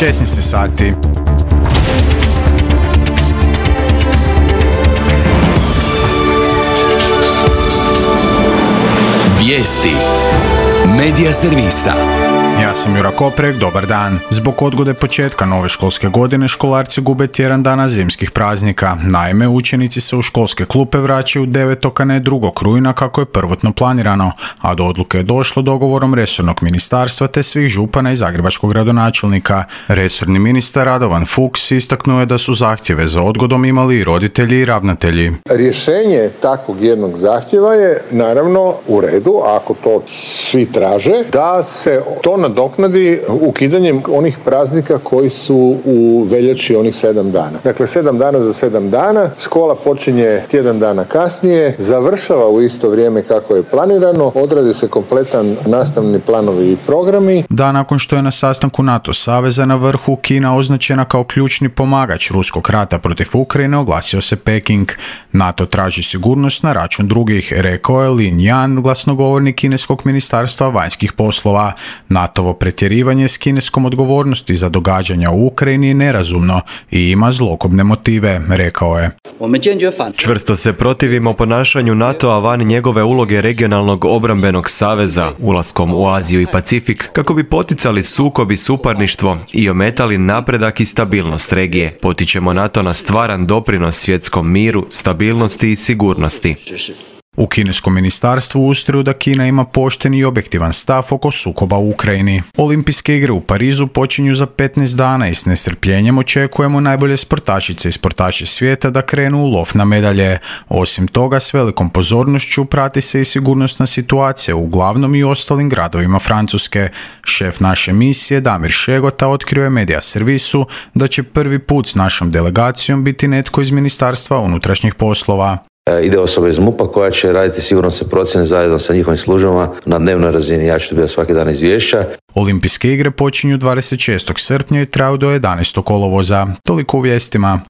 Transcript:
16 sati. Vijesti Medija servisa. Ja sam Jura Koprek, dobar dan. Zbog odgode početka nove školske godine školarci gube tjedan dana zimskih praznika. Naime, učenici se u školske klupe vraćaju 9. a ne 2. rujna kako je prvotno planirano, a do odluke je došlo dogovorom resornog ministarstva te svih župana i zagrebačkog gradonačelnika. Resorni ministar Radovan Fuchs istaknuo je da su zahtjeve za odgodom imali i roditelji i ravnatelji. Rješenje takvog jednog zahtjeva je naravno u redu, ako to svi traže, da se to nadoknadi ukidanjem onih praznika koji su u veljači onih 7 dana. Dakle, 7 dana za 7 dana, škola počinje tjedan dana kasnije, završava u isto vrijeme kako je planirano, odradi se kompletan nastavni planovi i programi. Da, nakon što je na sastanku NATO saveza na vrhu Kina označena kao ključni pomagač ruskog rata protiv Ukrajine, oglasio se Peking. NATO traži sigurnost na račun drugih, rekao je Lin Yan, glasnogovornik kineskog ministarstva vanjskih poslova. NATO-ovo pretjerivanje s kineskom odgovornosti za događanja u Ukrajini je nerazumno i ima zlokobne motive, rekao je. Čvrsto se protivimo ponašanju NATO-a van njegove uloge regionalnog obrambenog saveza, ulaskom u Aziju i Pacifik, kako bi poticali sukob i suparništvo i ometali napredak i stabilnost regije. Potičemo NATO na stvaran doprinos svjetskom miru, stabilnosti i sigurnosti. U kineskom ministarstvu ustraju da Kina ima pošten i objektivan stav oko sukoba u Ukrajini. Olimpijske igre u Parizu počinju za 15 dana i s nestrpljenjem očekujemo najbolje sportašice i sportaše svijeta da krenu u lov na medalje. Osim toga, s velikom pozornošću prati se i sigurnosna situacija u glavnom i ostalim gradovima Francuske. Šef naše misije, Damir Šegota, otkrio je Medija servisu da će prvi put s našom delegacijom biti netko iz Ministarstva unutrašnjih poslova. Ide osoba iz MUP-a koja će raditi sigurnosne procjene zajedno sa njihovim službama na dnevnoj razini. Ja ću dobiti svaki dan izvješća. Olimpijske igre počinju 26. srpnja i traju do 11. kolovoza. Toliko u vijestima.